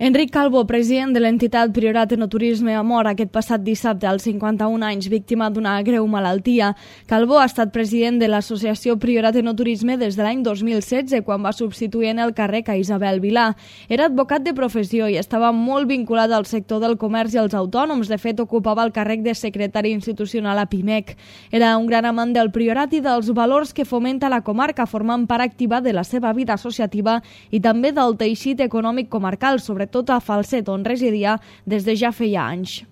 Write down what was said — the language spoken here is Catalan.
Enric Calvo, president de l'entitat Priorat Enoturisme, ha mort aquest passat dissabte als 51 anys, víctima d'una greu malaltia. Calvo ha estat president de l'associació Priorat Enoturisme des de l'any 2016, quan va substituir en el càrrec a Isabel Vilà. Era advocat de professió i estava molt vinculat al sector del comerç i als autònoms. De fet, ocupava el càrrec de secretari institucional a Pimec. Era un gran amant del Priorat i dels valors que fomenta la comarca, formant part activa de la seva vida associativa i també del teixit econòmic comarcal, sobretot a Falset, on residia des de ja feia anys.